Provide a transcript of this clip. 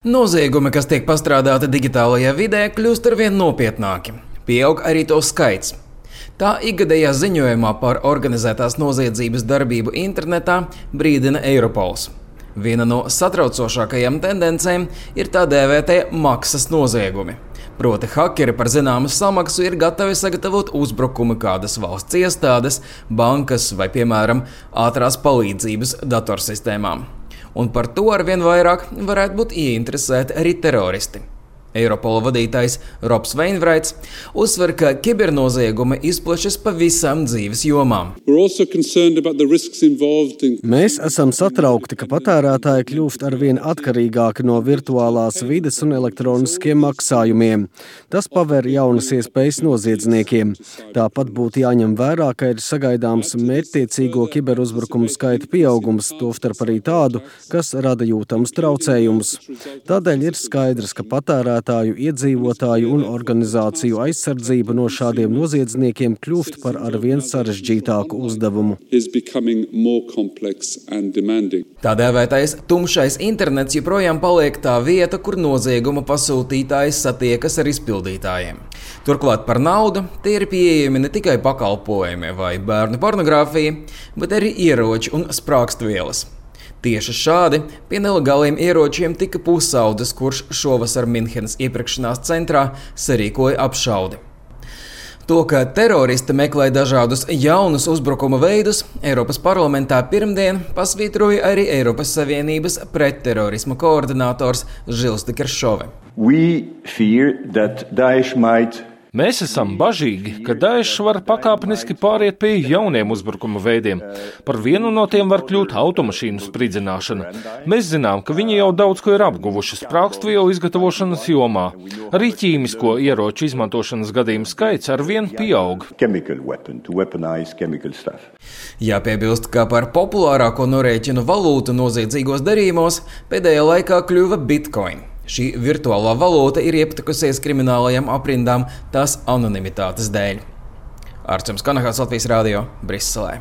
Noziegumi, kas tiek pastrādāti digitālajā vidē, kļūst arvien nopietnāki. Pieaug arī to skaits. Tā ikgadējā ziņojumā par organizētās noziedzības darbību internetā brīdina Eiropols. Viena no satraucošākajām tendencēm ir tā dēvētie maksas noziegumi. Proti, hakeri par zināmu samaksu ir gatavi sagatavot uzbrukumu kādas valsts iestādes, bankas vai, piemēram, ātrās palīdzības datorsistēmām. Un par to arvien vairāk varētu būt ieinteresēti arī teroristi. Eiropola vadītājs Robs Veinvraits uzsver, ka kibernoziegumi izplešas pa visām dzīves jomām. Mēs esam satraukti, ka patērētāji kļūst arvien atkarīgāki no virtuālās vides un elektroniskiem maksājumiem. Tas paver jaunas iespējas noziedzniekiem. Tāpat būtu jāņem vērā, ka ir sagaidāms mērķtiecīgo kiberuzbrukumu skaita pieaugums, tostarp arī tādu, kas rada jūtamus traucējumus. Tādēļ ir skaidrs, ka patērētāju, iedzīvotāju un organizāciju aizsardzība no šādiem noziedzniekiem kļūst par arvien sarežģītāku uzdevumu. Tā dēvētais tumšais internets joprojām paliek tā vieta, kur nozieguma pasūtītājs satiekas ar izpildītājiem. Turklāt par naudu tie ir pieejami ne tikai pakalpojumi vai bērnu pornogrāfija, bet arī ieroči un sprākstvielas. Tieši šādi pie nelegāliem ieročiem tika pusaudzis, kurš šovasar Minhenes iepirkšanās centrā sarīkoja apšaudi. To, ka teroristi meklē dažādus jaunus uzbrukuma veidus, Eiropas parlamentā pirmdien pasvītroja arī Eiropas Savienības pretterorisma koordinators Žils de Keršove. Mēs esam bažīgi, ka Daesh var pakāpeniski pāriet pie jauniem uzbrukuma veidiem. Par vienu no tiem var kļūt automašīnu spridzināšana. Mēs zinām, ka viņi jau daudz ko ir apguvuši sprākstvielu izgatavošanas jomā. Arī ķīmisko ieroču izmantošanas gadījumu skaits arvien pieaug. Jāpiebilst, ka par populārāko norēķinu valūtu noziedzīgos darījumos pēdējā laikā kļuva Bitcoin. Šī virtuālā valūta ir iepatikusies kriminālajām aprindām tās anonimitātes dēļ. Arčuns Kanahāls, Latvijas Radio, Briselē.